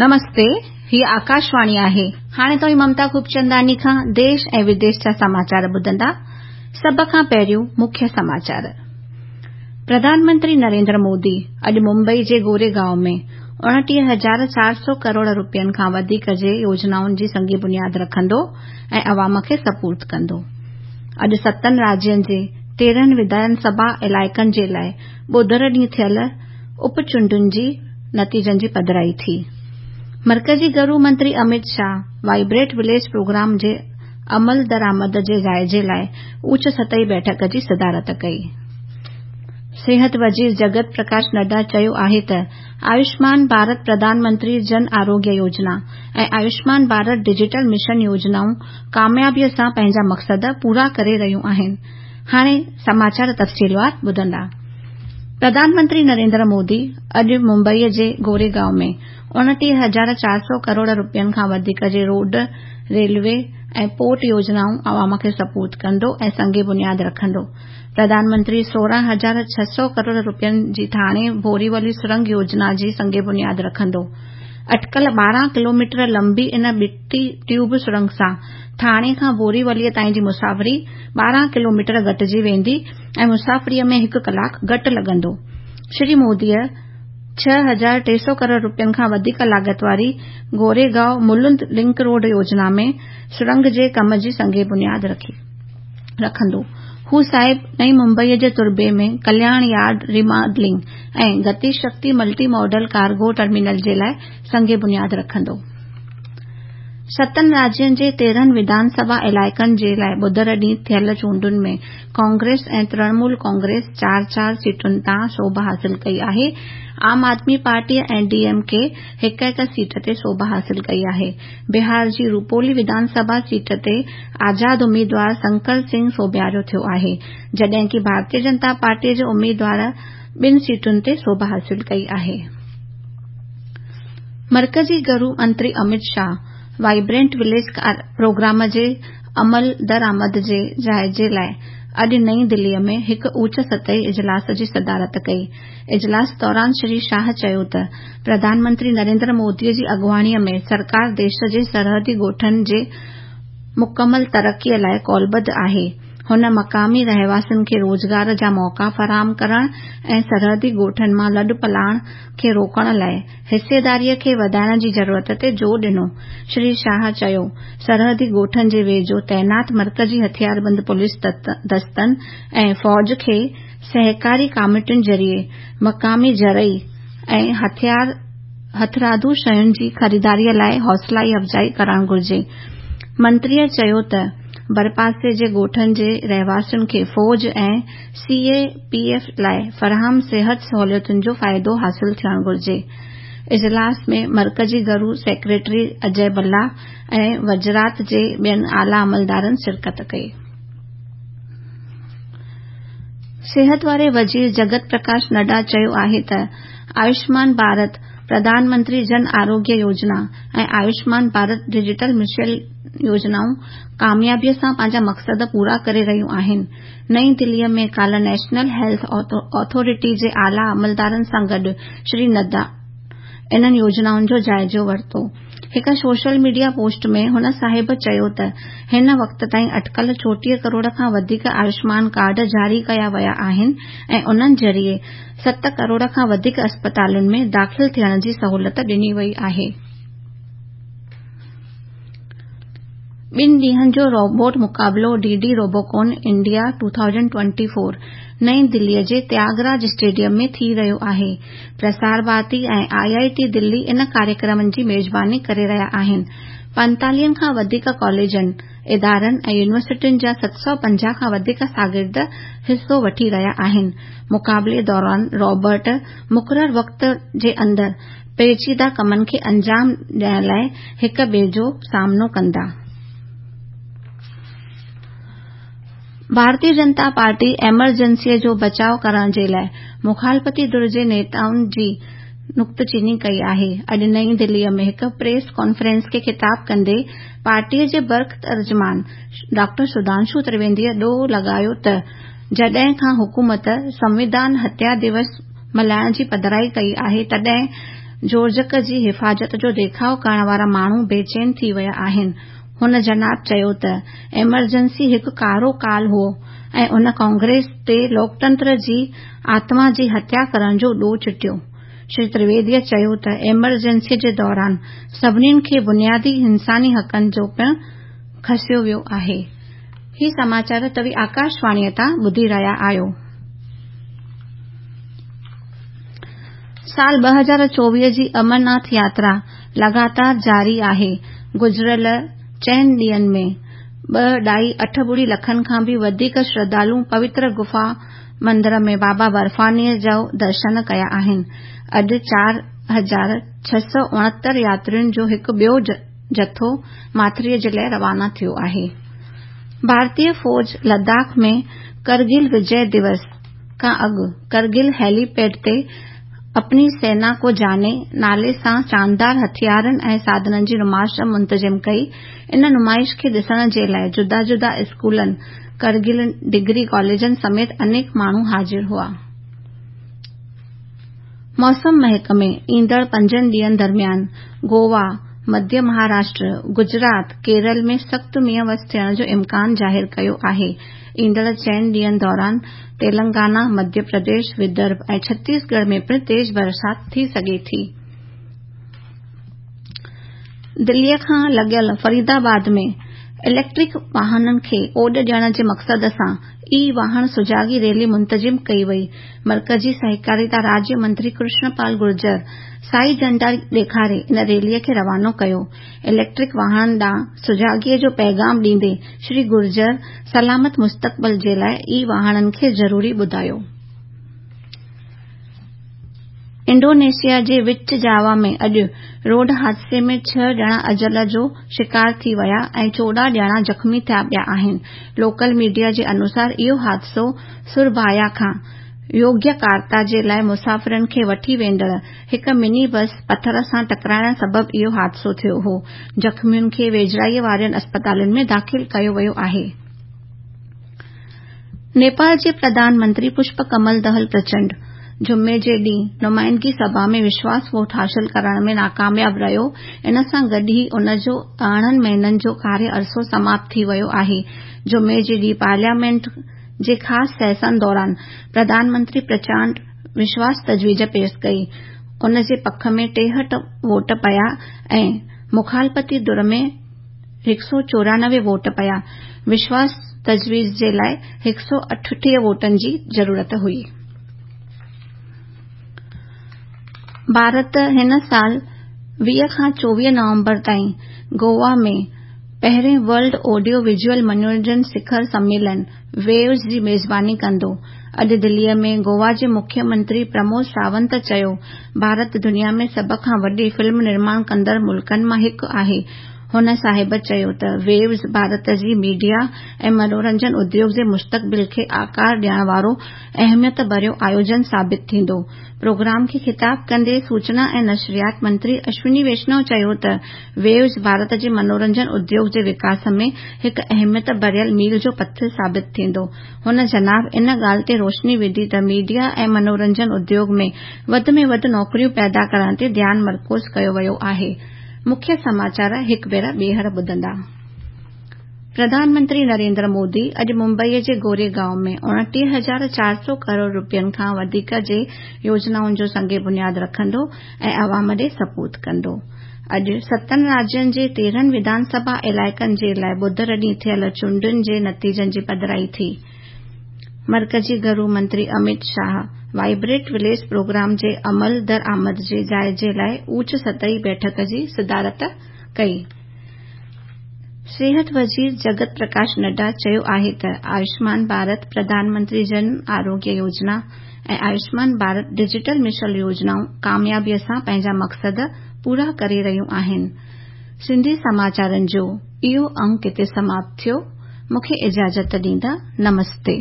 نمستي، هي آڪاشواڻي آهي. هاڻي توهين ممتا خوبچنداڻي کان ديش ۽ وديش جا سماچار ٻڌندا. سڀ کان پهريون مکيه سماچار. پرڌان منتري نريندر مودي اڄ ممبئي جي گوريگائون ۾ 29400 ڪروڙ رپين کان وڌيڪ جي يوجنائن جي سنگ بنياد رکندو ۽ عوام کي سپرد ڪندو. اڄ ستن راجين جي 13 وڌان سڀا علائقن جي لاء ٻڌر ڏينهن ٿيل اپ چونڊن جي نتيجن جي پڌرائي ٿي. مرڪزي گهرو منتري Amit Shah vibrant village programme جي عملدرآمد جي جائزي لاء اوچ سطحي بيٺڪ جي صدارت ڪئي. صحت وزير جگت پرڪاش نڊا چيو آهي ته آيوشمان ڀارت پرڌان منتري جن آروگيه يوجنا ۽ آيوشمان ڀارت ڊجيٽل مشن يوجنائون ڪاميابيء سان پنهنجا مقصد پورا ڪري رهيون آهن. هاڻي سماچار تفصيلوار ٻڌندا. پرڌان منتري نريندر مودي اڄ ممبئي جي گوريگائون ۾ 29400 ڪروڙ رپين کان وڌيڪ جي روڊ، ريلوي ۽ پورٽ يوجنائون عوام کي سپرد ڪندو ۽ سنگ بنياد رکندو. پرڌان منتري 16600 ڪروڙ رپين جي ٿاڻي بوريولي سرنگ يوجنا جي سنگ بنياد رکندو. اٽڪل 12 ڪلوميٽر لمبي ان ٻٽي ٽيوب سرنگ سان ٿاڻي کان بوريوليء تائين جي مسافري 12 ڪلوميٽر گهٽجي ويندي ۽ مسافريء ۾ هڪ ڪلاڪ گهٽ لڳندو. شري موديء 6300 ڪروڙ رپين کان وڌيڪ لاڳت واري گوريگائون ملند لنڪ روڊ يوجنا ۾ سرنگ جي ڪم جي سنگ بنياد رکندو. هو صاحب نئين ممبئيء جي تربي ۾ Kalyan yard remodelling ۽ Gati Shakti multi modal cargo terminal جي لاء سنگ بنياد رکندو. ستن راجين جي 13 وڌان سڀا علائقن جي لاء ٻڌر ڏينهن ٿيل چونڊن ۾ ڪانگريس ۽ ترڻمول ڪانگريس چار چار سيٽن تان سوڀ حاصل ڪئي آهي. عام آدمي پارٽيء ۽ ڊي ايم ڪي هڪ هڪ سيٽ تي سوڀ حاصل ڪئي آهي. بهار جي روپولي وڌان سڀا سيٽ تي آزاد اميدوار شنڪر سنگهه سوڀيارو ٿيو آهي، جڏهن ڪه ڀارتيه جنتا پارٽيء جي اميدوار ٻن سيٽن تي سوڀ حاصل ڪئي آهي. مرڪزي گهرو منتري Amit Shah vibrant village programme جي عملدرآمد جي جائزي لاء اڄ نئين دهليء ۾ هڪ اوچ سطحي اجلاس جي صدارت ڪئي. اجلاس دوران شري شاهه چيو ته پرڌان منتري نريندر مودي جي اڳواڻيء ۾ سرڪار ديش جي سرحدي ڳوٺن جي مڪمل ترقيء لاء قولبڌ آهي. هن مقامي رهواسين کي روزگار جا موقعا فراهم ڪرڻ ۽ سرحدي ڳوٺن مان لڏپلاڻ کي روڪڻ لاء حصيداري کي وڌائڻ جي ضرورت تي زور ڏنو. شري شاهه چيو، سرحدي ڳوٺن جي ويجهو تعينات مرڪزي هٿياربند پوليس دستن ۽ فوج کي سهڪاري ڪاميٽين ذريعي مقامي زرعي ۽ هٿرادو شين جي خريداري لاء حوصلا افزائي ڪرڻ گهرجي. منتريء چيو ته ڀرپاسي جي ڳوٺن جي رهواسين کي فوج ۽ سي اي پي ايف لاء فراهم صحت سهولتن جو فائدو حاصل ٿيڻ گهرجي. اجلاس ۾ مرڪزي گهرو سيڪريٽري اجي ڀلا ۽ وزارت جي ٻين اعليٰ عملدارن شرڪت ڪئي. صحت واري وزير جگت پرڪاش نڊا چيو آهي ته آيوشمان ڀارت پرڌان منتري جن آروگيه يوجنا ۽ آيوشمان ڀارت ڊجيٽل مشن يوجنائون ڪاميابيء سان پنهنجا مقصد پورا ڪري رهيون آهن. نئين دهليء ۾ ڪالهه نيشنل هيلٿ اٿارٽي جي اعليٰ عملدارن سان گڏ شري نڊا انهن يوجنائن جو جائزو ورتو. هڪ سوشل ميڊيا پوسٽ ۾ هن صاحب چيو ته هن وقت تائين اٽڪل 34 ڪروڙ کان وڌيڪ آيوشمان ڪارڊ جاري ڪيا ويا آهن ۽ انهن ذريعي 7 ڪروڙ کان وڌيڪ اسپتالن ۾ داخل ٿيڻ جي سهولت ڏني وئي آهي. ٻن ڏينهن جو روبوٽ مقابلو ڊي ڊي روبوڪون انڊيا 2024 نئين دهليء جي تياڳ راج اسٽيڊيم ۾ ٿي رهيو آهي. پرسار ڀارتي ۽ آء آء ٽي دهلي ان ڪاريڪرم جي ميزباني ڪري رهيا آهن. پنتاليهن کان وڌيڪ ڪاليجن، ادارن ۽ يونيورسٽين جا 750 کان وڌيڪ شاگرد حصو وٺي رهيا آهن. مقابلي دوران روبوٽ مقرر وقت جي اندر پيچيده ڪمن کي انجام ڏيڻ لاء هڪ ٻئي جو سامنو ڪندا. ڀارتيه جنتا پارٽي ايمرجنسيء جو بچاء ڪرڻ جي لاء مخالفتي ڌر جي نيتائن جي نڪته چيني ڪئي آهي. اڄ نئين دهليء ۾ هڪ پريس ڪانفرنس کي خطاب ڪندي پارٽيء جي برک ترجمان ڊاڪٽر سڌانشو ترويديء ڏوهه لڳايو ته جڏهن کان حڪومت سنوڌان هتيا دوس ملهائڻ جي پڌرائي ڪئي آهي تڏهن جوڙجڪ جي حفاظت جو ڏيکاءُ ڪرڻ وارا ماڻهو بيچين ٿي ويا آهن. هن جناب چيو ته ايمرجنسي هڪ ڪارو ڪال هو ۽ ان ڪانگريس تي لوڪتنتر جي آتما جي هتيا ڪرڻ جو ڏوهه چٽيو. شري ترويدي چيو ته ايمرجنسي جي دوران سڀني کي بنيادي انساني حقن جو پڻ کسيو ويو آهي. هي سماچار توهين آڪاشواڻيء تان ٻڌي رهيا آهيو. سال 2024 جي امرناٿ ياترا لڳاتار جاري آهي. گذريل چئن ڏينهن ۾ 2.86 لکن کان به وڌيڪ شرڌالن پوتر گفا مندر ۾ بابا برفانيء جو درشن ڪيا آهن. اڄ 4669 ياترين جو هڪ ٻيو جٿو ماٿريء جي لاء روانا ٿيو آهي. ڀارتي فوج لداخ ۾ ڪرگل وجي دوس کان اڳ ڪرگل هيلي پيڊ تي اپني سينا ڪو جاني نالي سان شاندار هٿيارن ۽ ساڌنن جي نمائش منتظم ڪئي. ان نمائش کي ڏسڻ جي لاء جدا جدا اسڪولن، ڪرگل ڊگري ڪاليجن سميت انيڪ ماڻهو حاضر هئا. موسم محڪمي ايندڙ پنجن ڏينهن درميان گوا، مڌيه مهاراشٽر، گجرات، ڪيرل ۾ سخت مينهن وس ٿيڻ جو امڪان ظاهر ڪيو آهي. ايندڙ چئن ڏينهن دوران تيلنگانا، مڌيه پرديش، ودرڀ ۽ ڇتيس ڳڙهه ۾ پڻ تيز برسات ٿي سگهي ٿي. دليء کان لڳيل فريد آباد ۾ اليڪٽرڪ واهنن کي اوڏ ڏيڻ جي مقصد سان اي واهڻ سجاڳي ريلي منتظم ڪئي وئي. مرڪزي سهڪاريتا راڄ منتري ڪرشن پال گرجر سائي جهنڊا ڏيکاري ان ريلي کي روانو ڪيو. اليڪٽرڪ واهڻن ڏانهن سجاڳيء جو پيغام ڏيندي شري گرجر سلامت مستقبل جي لاء اي واهڻن کي ضروري ٻڌايو. انڊونيشيا جي وچ جاوا ۾ اڄ روڊ حادثي ۾ ڇهه ڄڻا اجل جو شڪار ٿي ويا ۽ 14 ڄڻا زخمي ٿيا پيا آهن. لوڪل ميڊيا جي انوسار اهو حادثو سربايا کان يوگياڪارتا جي لاء مسافرن کي وٺي ويندڙ هڪ مني بس پٿر سان ٽڪرائڻ سبب اهو حادثو ٿيو هو. زخمين کي ويجهڙائي وارين اسپتالن ۾ داخل ڪيو ويو آهي. نيپال جي پرڌان منتري پشپ ڪمل دهل پرچنڊ جمعي جي ڏينهن نمائندگي سڀا ۾ وشواس ووٽ حاصل ڪرڻ ۾ ناڪامياب رهيو. ان سان گڏ ئي ان جو 18 مهينن جو ڪاريه عرصو سماپت ٿي ويو آهي. جمعي جي ڏينهن پارليامينٽ جي خاص سيشن دوران پرڌان منتري پرچنڊ وشواس تجويز پيش ڪئي. ان جي پک ۾ 63 ووٽ پيا ۽ مخالفتي ڌر ۾ 194 ووٽ پيا. وشواس تجويز جي لاء 138 ووٽن جي ضرورت هئي. ڀارت هن سال 20 کان 24 نومبر تائين گوا ۾ پهرين ورلڊ آڊيو ويزوئل منورنجن شکر سميلن، ويوز، جي ميزباني ڪندو. اڄ دليء ۾ گوا جي مکيه منتري پرمود ساونت چيو، ڀارت دنيا ۾ سڀ کان وڏي فلم نرماڻ ڪندڙ ملڪن مان هڪ آهي. هن صاحب چيو ته ويوز ڀارت جي ميڊيا ۽ منورنجن اديوگ جي مستقبل کي آڪار ڏيڻ وارو اهميت ڀريو آيوجن ثابت ٿيندو. پروگرام کي خطاب ڪندي سوچنا ۽ نشريات منتري اشوني ويشنو چيو ته ويوز ڀارت جي منورنجن اديوگ جي وڪاس ۾ هڪ اهميت ڀريل ميل جو پٿر ثابت ٿيندو. هن جناب ان ڳالهه تي روشني وڌي ته ميڊيا ۽ منورنجن اديوگ ۾ وڌ ۾ وڌ نوڪريون پيدا ڪرڻ تي ڌيان مرڪوز ڪيو ويو آهي. مکيه سماچار هڪ ڀيرا ٻيهر ٻڌندا. پرڌان منتري نريندر مودي اڄ ممبئي جي گوري گائون ۾ 29400 ڪروڙ رپين کان وڌيڪ جي يوجنائن جو سنگ بنياد رکندو ۽ عوام ڏي سپرد ڪندو. اڄ ستن راجين جي 13 وڌان سڀا علائقن جي لاء ٻڌر ڏينهن ٿيل چونڊن جي نتيجن جي پڌرائي ٿي. مرڪزي گهرو منتري Amit Shah vibrant village programme جي عمل درآمد جي جائزي لاء اوچ سطحي بيٺڪ جي صدارت ڪئي. صحت وزير جگت پرڪاش نڊا چيو آهي ته آيوشمان ڀارت پرڌان منتري جن آروگيه يوجنا ۽ آيوشمان ڀارت ڊجيٽل مشن يوجنائون ڪاميابي سان پنهنجا مقصد پورا ڪري رهيون آهن. سنڌي سماچارن جو اهو انگ هتي سماپت ٿيو. مون کي اجازت ڏيندا. نمستي.